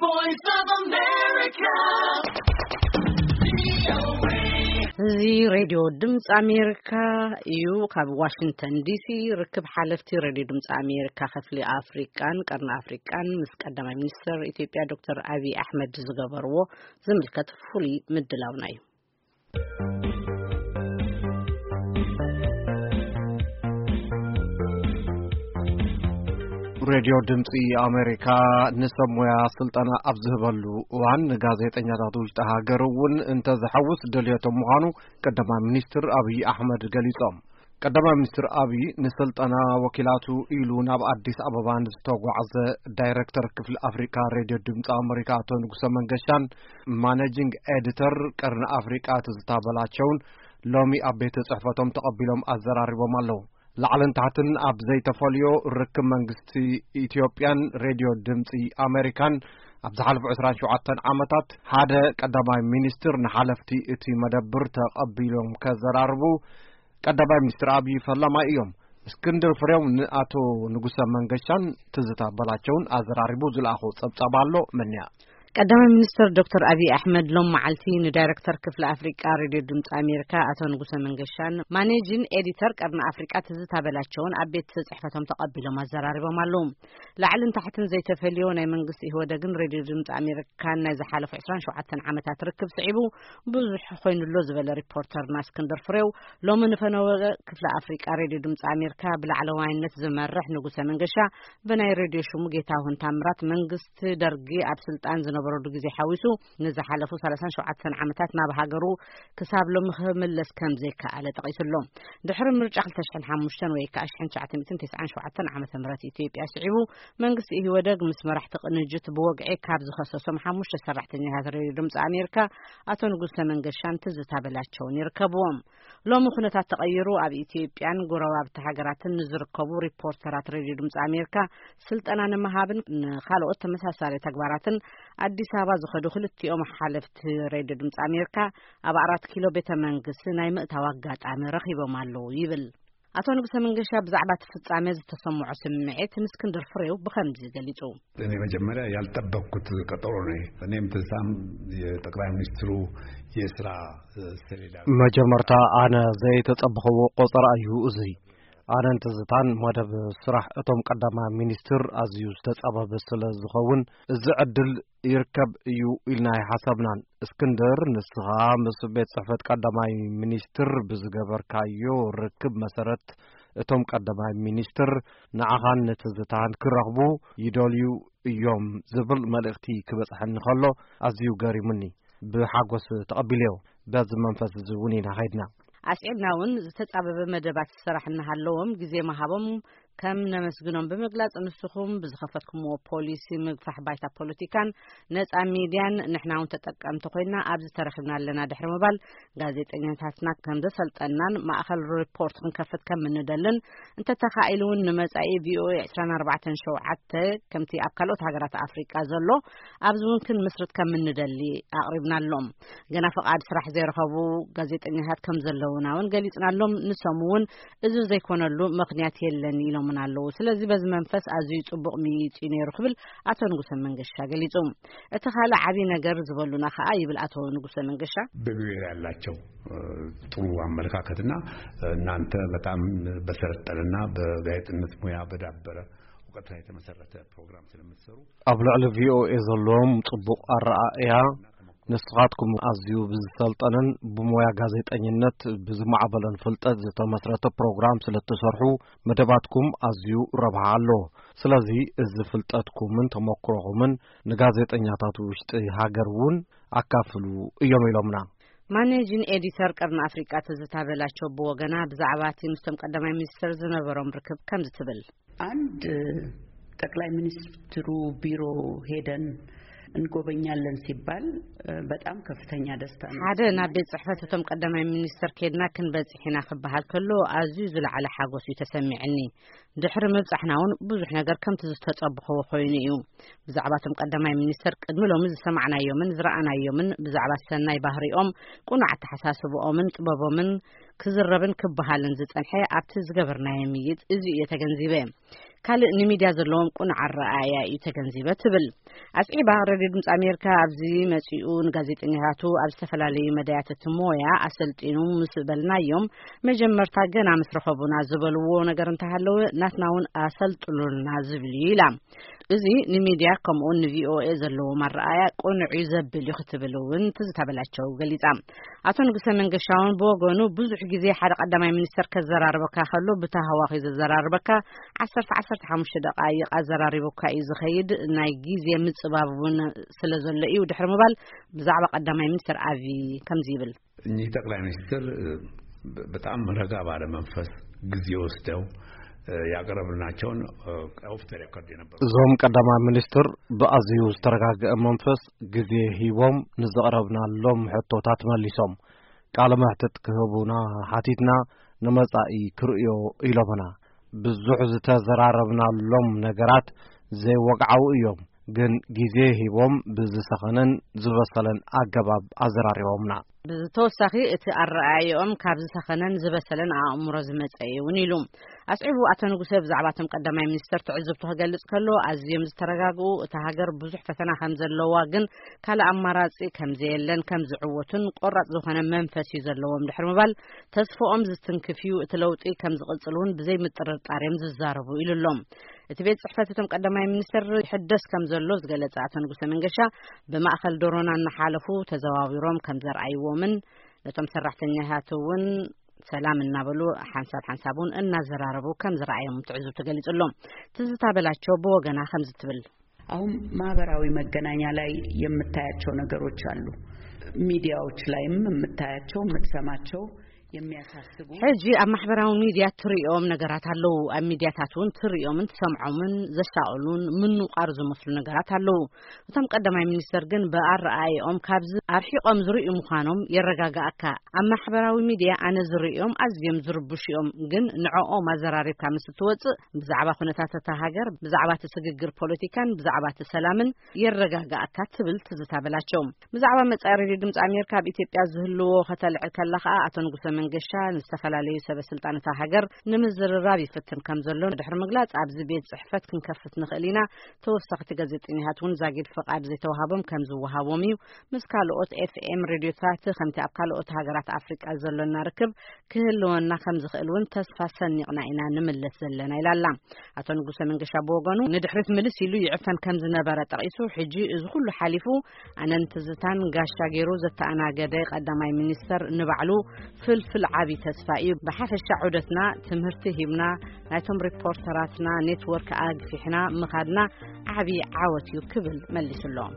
Voice of America. እዚ ሬድዮ ድምፂ ኣሜሪካ እዩ። ካብ ዋሽንግተን ዲሲ ርክብ ሓለፍቲ ሬድዮ ድምፂ ኣሜሪካ ክፍሊ ኣፍሪቃን ቀርኒ ኣፍሪቃን ምስ ቀዳማይ ሚኒስትር ኢትዮጵያ ዶክተር ኣብይ ኣሕመድ ዝገበርዎ ዝምልከት ፍሉይ ምድላውና እዩ። ሬድዮ ድምፂ ኣሜሪካ ንሰብ ሞያ ስልጠና ኣብ ዝህበሉ እዋን፣ ንጋዜጠኛታት ውሽጢ ሃገር እውን እንተዝሐውስ ድልየቶም ምዃኑ ቀዳማይ ሚኒስትር ኣብይ ኣሕመድ ገሊጾም። ቀዳማይ ሚኒስትር ኣብይ ንስልጠና ወኪላቱ ኢሉ ናብ ኣዲስ ኣበባ ንዝተጓዕዘ ዳይሬክተር ክፍሊ ኣፍሪካ ሬድዮ ድምፂ ኣሜሪካ ኣቶ ንጉሰ መንገሻን ማኔጂንግ ኤዲተር ቀርኒ ኣፍሪቃ ትዝታ በላቸውን ሎሚ ኣብ ቤት ጽሕፈቶም ተቐቢሎም ኣዘራሪቦም ኣለዉ። ላዕልን ታሕትን ኣብ ዘይተፈልዮ ርክብ መንግስቲ ኢትዮጵያን ሬድዮ ድምፂ ኣሜሪካን ኣብ ዝሓለፉ ዕስራን ሸውዓተን ዓመታት ሓደ ቀዳማይ ሚኒስትር ንሓለፍቲ እቲ መደብር ተቐቢሎም ከዘራርቡ ቀዳማይ ሚኒስትር ኣብይ ፈላማይ እዮም። እስክንድር ፍሬው ንኣቶ ንጉሰ መንገሻን ትዝታ በላቸውን ኣዘራሪቡ ዝለኣኾ ጸብጻብ ኣሎ። መንያ ቀዳማይ ሚኒስትር ዶክተር ኣብይ ኣሕመድ ሎም መዓልቲ ንዳይሬክተር ክፍሊ ኣፍሪቃ ሬድዮ ድምፂ ኣሜሪካ ኣቶ ንጉሰ መንገሻን ማኔጂን ኤዲተር ቀርኒ ኣፍሪቃ ትዝታ በላቸውን ኣብ ቤት ጽሕፈቶም ተቐቢሎም ኣዘራሪቦም ኣለዉ። ላዕልን ታሕትን ዘይተፈልዮ ናይ መንግስቲ ኢህወደግን ሬድዮ ድምፂ ኣሜሪካን ናይ ዝሓለፉ ዕስራን ሸውዓተን ዓመታት ርክብ ስዒቡ ብዙሕ ኮይኑሎ ዝበለ ሪፖርተርና እስክንድር ፍሬው፣ ሎሚ ንፈነወ ክፍሊ ኣፍሪቃ ሬድዮ ድምፂ ኣሜሪካ ብላዕለዋይነት ዝመርሕ ንጉሰ መንገሻ ብናይ ሬድዮ ሽሙ ጌታሁን ታምራት መንግስቲ ደርጊ ኣብ ስልጣን ዝነበረሉ ግዜ ሓዊሱ ንዝሓለፉ ሰላሳን ሸውዓተን ዓመታት ናብ ሃገሩ ክሳብ ሎሚ ክምለስ ከም ዘይከኣለ ጠቒሱሎ። ድሕሪ ምርጫ ክልተ ሽሕን ሓሙሽተን ወይ ከዓ ሽሕን ትሽዓተ ሚእትን ተስዓን ሸውዓተን ዓመተ ምህረት ኢትዮጵያ ስዒቡ መንግስቲ ኢህወደግ ምስ መራሕቲ ቅንጅት ብወግዒ ካብ ዝኸሰሶም ሓሙሽተ ሰራሕተኛታት ሬድዮ ድምፂ ኣሜሪካ ኣቶ ንጉሰ መንገሻን ትዝታ በላቸውን ይርከብዎም። ሎሚ ኩነታት ተቐይሩ ኣብ ኢትዮጵያን ጎረባብቲ ሃገራትን ንዝርከቡ ሪፖርተራት ሬድዮ ድምፂ ኣሜሪካ ስልጠና ንምሃብን ንኻልኦት ተመሳሳሊ ተግባራትን ኣዲስ ኣበባ ዝኸዱ ክልቲኦም ሓለፍቲ ሬድዮ ድምፂ ኣሜሪካ ኣብ ኣራት ኪሎ ቤተ መንግስቲ ናይ ምእታው ኣጋጣሚ ረኺቦም ኣለዉ ይብል። ኣቶ ንጉሰ መንገሻ ብዛዕባ እቲ ፍጻሜ ዝተሰምዖ ስምዒት ንእስክንድር ፍሬው ብኸምዚ ገሊጹ። እኔ መጀመሪያ ያልጠበቅኩት ቀጠሮ ነው። እኔም ትዝታም የጠቅላይ ሚኒስትሩ የስራ ሰሌዳ። መጀመርታ ኣነ ዘይተጸበኸዎ ቆጸራ እዩ እዚ። ኣነን ትዝታን መደብ ስራሕ እቶም ቀዳማይ ሚኒስትር ኣዝዩ ዝተጻበበ ስለ ዝኸውን፣ እዚ ዕድል ይርከብ እዩ ኢልና ኣይሓሰብናን። እስክንድር፣ ንስኻ ምስ ቤት ጽሕፈት ቀዳማይ ሚኒስትር ብዝገበርካዮ ርክብ መሰረት፣ እቶም ቀዳማይ ሚኒስትር ንዓኻን ንትዝታን ክረኽቡ ይደልዩ እዮም ዝብል መልእኽቲ ክበጽሐኒ ከሎ ኣዝዩ ገሪሙኒ። ብሓጎስ ተቐቢለዮ። በዚ መንፈስ እዚ እውን ኢና ኸይድና። ኣስዒብና እውን ዝተጻበበ መደባት ስራሕ እናሃለዎም ግዜ ምሃቦም ከም ነመስግኖም ብምግላጽ፣ ንስኹም ብዝኸፈትኩምዎ ፖሊሲ ምግፋሕ ባይታ ፖለቲካን ነጻ ሚድያን ንሕና እውን ተጠቀምቲ ኮይና ኣብዚ ተረኺብና ኣለና ድሕሪ ምባል፣ ጋዜጠኛታትና ከም ዘሰልጠናን ማእኸል ሪፖርት ክንከፍት ከም እንደልን፣ እንተተኻኢሉ እውን ንመጻኢ ቪኦኤ ዕስራን ኣርባዕተን ሸውዓተ ከምቲ ኣብ ካልኦት ሃገራት ኣፍሪቃ ዘሎ ኣብዚ እውን ክንምስርት ከም እንደሊ ኣቕሪብናሎም። ገና ፍቓድ ስራሕ ዘይረኸቡ ጋዜጠኛታት ከም ዘለውና እውን ገሊጽናሎም። ንሶም እውን እዚ ዘይኮነሉ ምኽንያት የለን ኢሎምና ኣለዉ። ስለዚ በዚ መንፈስ ኣዝዩ ጽቡቕ ምይይጥ እዩ ነይሩ ክብል ኣቶ ንጉሰ መንገሻ ገሊጹ። እቲ ካልእ ዓብዪ ነገር ዝበሉና ከኣ ይብል ኣቶ ንጉሰ መንገሻ። በቪኦኤ ያላቸው ጥሩ አመለካከትና እናንተ በጣም በሰለጠነና በጋዜጠኝነት ሙያ በዳበረ እውቀት ላይ የተመሰረተ ፕሮግራም ስለምትሰሩ ኣብ ልዕሊ ቪኦኤ ዘለዎም ጽቡቕ ኣረኣእያ፣ ንስኻትኩም ኣዝዩ ብዝሰልጠነን ብሞያ ጋዜጠኝነት ብዝማዕበለን ፍልጠት ዝተመስረተ ፕሮግራም ስለ እትሰርሑ መደባትኩም ኣዝዩ ረብሓ ኣሎ። ስለዚ እዚ ፍልጠትኩምን ተመክሮኹምን ንጋዜጠኛታት ውሽጢ ሃገር እውን ኣካፍሉ እዮም ኢሎምና። ማኔጂን ኤዲተር ቀርኒ ኣፍሪቃ ትዝታ በላቸው ብወገና ብዛዕባ እቲ ምስቶም ቀዳማይ ሚኒስትር ዝነበሮም ርክብ ከምዚ ትብል። አንድ ጠቅላይ ሚኒስትሩ ቢሮ ሄደን እንጎበኛለን ሲባል በጣም ከፍተኛ ደስታ ነው። ሓደ ናብ ቤት ጽሕፈት እቶም ቀዳማይ ሚኒስትር ኬድና ክንበጽሕ ኢና ክበሃል ከሎ ኣዝዩ ዝለዓለ ሓጎስ እዩ ተሰሚዕኒ። ድሕሪ ምብጻሕና እውን ብዙሕ ነገር ከምቲ ዝተጸብኸዎ ኮይኑ እዩ። ብዛዕባ እቶም ቀዳማይ ሚኒስትር ቅድሚ ሎሚ ዝሰማዕናዮምን ዝረኣናዮምን ብዛዕባ ሰናይ ባህሪኦም፣ ቅኑዕ ኣተሓሳስብኦምን ጥበቦምን ክዝረብን ክበሃልን ዝጸንሐ ኣብቲ ዝገበርናዮ ምይይጥ እዚ እየ ተገንዚበ። ካልእ ንሚድያ ዘለዎም ቁኑዕ ኣረኣእያ እዩ ተገንዚበ ትብል። ኣስዒባ፣ ሬድዮ ድምፂ ኣሜሪካ ኣብዚ መፂኡ ንጋዜጠኛታቱ ኣብ ዝተፈላለዩ መዳያት እቲ ሞያ ኣሰልጢኑ ምስ በልናዮም፣ መጀመርታ ገና ምስ ረኸቡና ዝበልዎ ነገር እንተሃለወ፣ ናትና እውን ኣሰልጥኑልና ዝብል እዩ ኢላ። እዚ ንሚድያ ከምኡውን ንቪኦኤ ዘለዎም ኣረኣእያ ቁኑዕ እዩ ዘብል እዩ ክትብል እውን ትዝታ በላቸው ገሊጻ። ኣቶ ንጉሰ መንገሻውን ብወገኑ፣ ብዙሕ ግዜ ሓደ ቀዳማይ ሚኒስተር ከዘራርበካ ከሎ ብታህዋኺ ዘዘራርበካ፣ ዓሰርተ ዓሰርተ ሓሙሽተ ደቃይቕ ኣዘራሪቡካ እዩ ዝኸይድ፣ ናይ ግዜ ምጽባብ እውን ስለ ዘሎ እዩ ድሕሪ ምባል፣ ብዛዕባ ቀዳማይ ሚኒስተር ኣብዪ ከምዚ ይብል። እኚህ ጠቅላይ ሚኒስትር በጣም ረጋ ባለ መንፈስ ጊዜ ወስደው ያቀረብናቸውን ኦፍ ዘ ሬኮርድ የነበሩ እዞም ቀዳማይ ሚኒስትር ብኣዝዩ ዝተረጋገአ መንፈስ ግዜ ሂቦም ንዘቕረብናሎም ሕቶታት መሊሶም። ቃለ መሕትት ክህቡና ሓቲትና፣ ንመጻኢ ክርእዮ ኢሎምና። ብዙሕ ዝተዘራረብናሎም ነገራት ዘይወግዓዊ እዮም፣ ግን ግዜ ሂቦም ብዝሰኸነን ዝበሰለን ኣገባብ ኣዘራሪቦምና። ብተወሳኺ፣ እቲ ኣረኣእያኦም ካብ ዝሰኸነን ዝበሰለን ኣእምሮ ዝመጸ እዩ እውን ኢሉ። ኣስዒቡ ኣቶ ንጉሰ ብዛዕባ እቶም ቀዳማይ ሚኒስተር ትዕዝብቱ ክገልጽ ከሎ፣ ኣዝዮም ዝተረጋግኡ፣ እታ ሃገር ብዙሕ ፈተና ከም ዘለዋ ግን ካልእ ኣማራጺ ከም ዘየለን ከም ዝዕወቱን ቆራጽ ዝኾነ መንፈስ እዩ ዘለዎም ድሕሪ ምባል፣ ተስፍኦም ዝትንክፍ እዩ፣ እቲ ለውጢ ከም ዝቕጽል እውን ብዘይ ምጥርጣር እዮም ዝዛረቡ ኢሉ ኣሎ። እቲ ቤት ጽሕፈት እቶም ቀዳማይ ሚኒስተር ይሕደስ ከም ዘሎ ዝገለጸ ኣቶ ንጉሰ መንገሻ፣ ብማእከል ዶሮና እናሓለፉ ተዘዋዊሮም ከም ዘርኣይዎምን ነቶም ሰራሕተኛታት እውን ሰላም እናበሉ ሓንሳብ ሓንሳብ እውን እናዘራረቡ ከም ዝረኣዮም ትዕዝብቱ ገሊጹ ኣሎ። ትዝታ በላቸው ብወገና ከምዚ ትብል። አሁን ማህበራዊ መገናኛ ላይ የምታያቸው ነገሮች አሉ። ሚዲያዎች ላይም የምታያቸው፣ የምትሰማቸው የሚያሳስቡ ሕጂ ኣብ ማሕበራዊ ሚድያ ትርእዮም ነገራት ኣለዉ። ኣብ ሚድያታት እውን ትርእዮምን ትሰምዖምን ዘሻቕሉን ምንቋር ዝመስሉ ነገራት ኣለዉ። እቶም ቀዳማይ ሚኒስተር ግን ብኣረኣእያኦም ካብዚ ኣርሒቖም ዝርእዩ ምዃኖም የረጋግኣካ። ኣብ ማሕበራዊ ሚድያ ኣነ ዝርእዮም ኣዝዮም ዝርብሹ እዮም፣ ግን ንዕኦም ኣዘራሪብካ ምስ እትወጽእ ብዛዕባ ኩነታት እታ ሃገር፣ ብዛዕባ እቲ ስግግር ፖለቲካን ብዛዕባ እቲ ሰላምን የረጋግኣካ ትብል ትዝታ በላቸው። ብዛዕባ መጻኢ ሬድዮ ድምጺ ኣሜሪካ ኣብ ኢትዮጵያ ዝህልዎ ከተልዕል ከላ ከኣ፣ ኣቶ ንጉሰ መንገሻ ንዝተፈላለዩ ሰበ ስልጣን እታ ሃገር ንምዝርራብ ይፍትን ከም ዘሎ ድሕሪ ምግላጽ፣ ኣብዚ ቤት ጽሕፈት ክንከፍት ንኽእል ኢና፣ ተወሰኽቲ ጋዜጠኛታት እውን ዛጊድ ፍቓድ ዘይተዋሃቦም ከም ዝወሃቦም እዩ፣ ምስ ካልኦት ኤፍ ኤም ሬድዮታት ከምቲ ኣብ ካልኦት ሃገራት ኣፍሪቃ ዘሎና ርክብ ክህልወና ከም ዝኽእል እውን ተስፋ ሰኒቕና ኢና ንምለስ ዘለና ኢላ ኣላ። ኣቶ ንጉሰ መንገሻ ብወገኑ፣ ንድሕሪት ምልስ ኢሉ ይዕፈን ከም ዝነበረ ጠቒሱ፣ ሕጂ እዚ ኩሉ ሓሊፉ ኣነን ትዝታን ጋሻ ገይሩ ዘተኣናገደ ቀዳማይ ሚኒስተር ንባዕሉ ፍልፍል ዓቢ ተስፋ እዩ። ብሓፈሻ ዑደትና ትምህርቲ ሂብና፣ ናይቶም ሪፖርተራትና ኔትወርክ ኣግፊሕና ምኻድና ዓቢ ዓወት እዩ ክብል መሊሱሎም።